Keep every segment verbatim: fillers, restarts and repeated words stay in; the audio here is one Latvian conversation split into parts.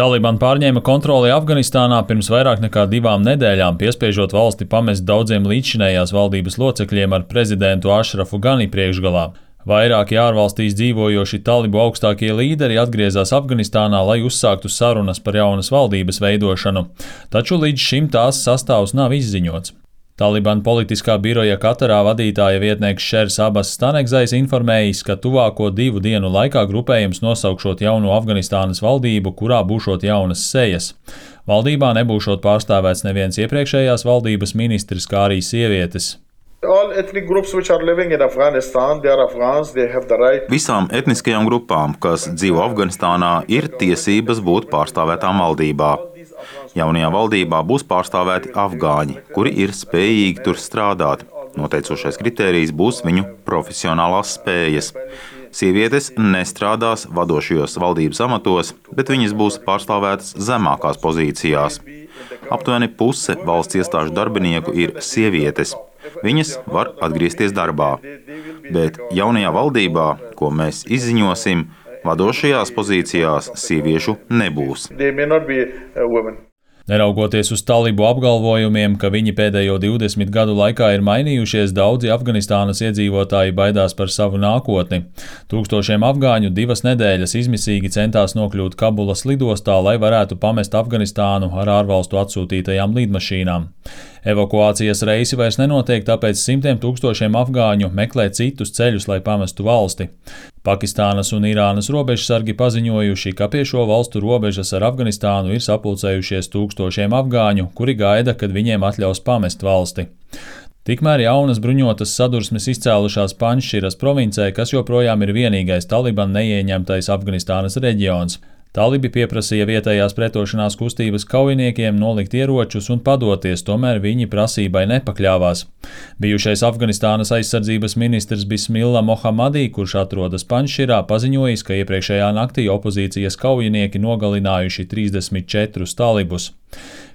Taliban pārņēma kontroli Afganistānā pirms vairāk nekā divām nedēļām, piespiežot valsti pamest daudziem līdzšinējās valdības locekļiem ar prezidentu Ašrafu Gani priekšgalā. Vairāki ārvalstīs dzīvojoši talibu augstākie līderi atgriezās Afganistānā, lai uzsāktu sarunas par jaunas valdības veidošanu, taču līdz šim tās sastāvs nav izziņots. Taliban politiskā biroja Katarā vadītāja vietnieks Šers Abas Stanegzais informējis, ka tuvāko divu dienu laikā grupējums nosaukšot jauno Afganistānas valdību, kurā būšot jaunas sejas. Valdībā nebūšot pārstāvēts neviens iepriekšējās valdības ministrs, kā arī sievietes. Visām etniskajām grupām, kas dzīvo Afganistānā, ir tiesības būt pārstāvētām valdībā. Jaunajā valdībā būs pārstāvēti afgāņi, kuri ir spējīgi tur strādāt. Noteicošais kritērijs būs viņu profesionālās spējas. Sievietes nestrādās vadošajos valdības amatos, bet viņas būs pārstāvētas zemākās pozīcijās. Aptuveni puse valsts iestāžu darbinieku ir sievietes. Viņas var atgriezties darbā. Bet jaunajā valdībā, ko mēs izziņosim, vadošajās pozīcijās sieviešu nebūs. Neraugoties uz talibu apgalvojumiem, ka viņi pēdējo divdesmit gadu laikā ir mainījušies, daudzi Afganistānas iedzīvotāji baidās par savu nākotni. Tūkstošiem afgāņu divas nedēļas izmisīgi centās nokļūt Kabulas lidostā, lai varētu pamest Afganistānu ar ārvalstu atsūtītajām lidmašīnām. Evakuācijas reisi vairs nenotiek, tāpēc simtiem tūkstošiem afgāņu meklē citus ceļus, lai pamestu valsti. Pakistānas un Irānas robežsargi paziņojuši, ka pie šo valstu robežas ar Afganistānu ir sapulcējušies tūkstošiem afgāņu, kuri gaida, kad viņiem atļaus pamest valsti. Tikmēr jaunas bruņotas sadursmes izcēlušās Panšširas provincē, kas joprojām ir vienīgais Taliban neieņemtais Afganistānas reģions. Talibi pieprasīja vietējās pretošanās kustības kaujiniekiem nolikt ieročus un padoties, tomēr viņi prasībai nepakļāvās. Bijušais Afganistānas aizsardzības ministrs Bismillah Mohamadī, kurš atrodas Panšširā, paziņojis, ka iepriekšējā naktī opozīcijas kaujinieki nogalinājuši trīsdesmit četrus talibus.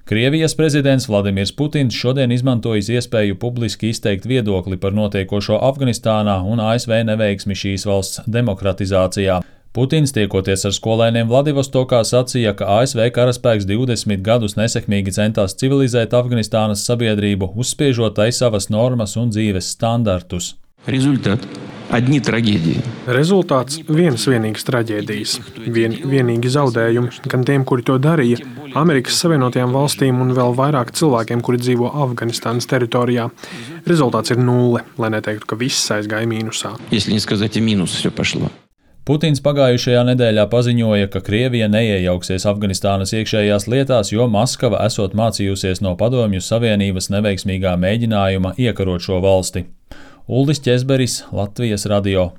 Krievijas prezidents Vladimirs Putins šodien izmantojis iespēju publiski izteikt viedokli par notiekošo Afganistānā un A S V neveiksmi šīs valsts demokratizācijā. Putins, tiekoties ar skolēniem Vladivostokā, sacīja, ka A S V karaspēks divdesmit gadus nesekmīgi centās civilizēt Afganistānas sabiedrību, uzspiežot tai savas normas un dzīves standartus. Rezultāts одни traģēdija. Rezultāts vienas vienīgas traģēdijas, vien, vienīgi zaudējumi gan tiem, kuri to darīja, Amerikas Savienotajām valstīm un vēl vairāk cilvēkiem, kuri dzīvo Afganistānas teritorijā. Rezultāts ir nulle, lai neteiktu, ka viss aizgāja mīnusā. Если не сказать, минус все пошло. Putins pagājušajā nedēļā paziņoja, ka Krievija neiejauksies Afganistānas iekšējās lietās, jo Maskava esot mācījusies no Padomju Savienības neveiksmīgā mēģinājuma iekarot šo valsti. Uldis Ķezberis, Latvijas radio.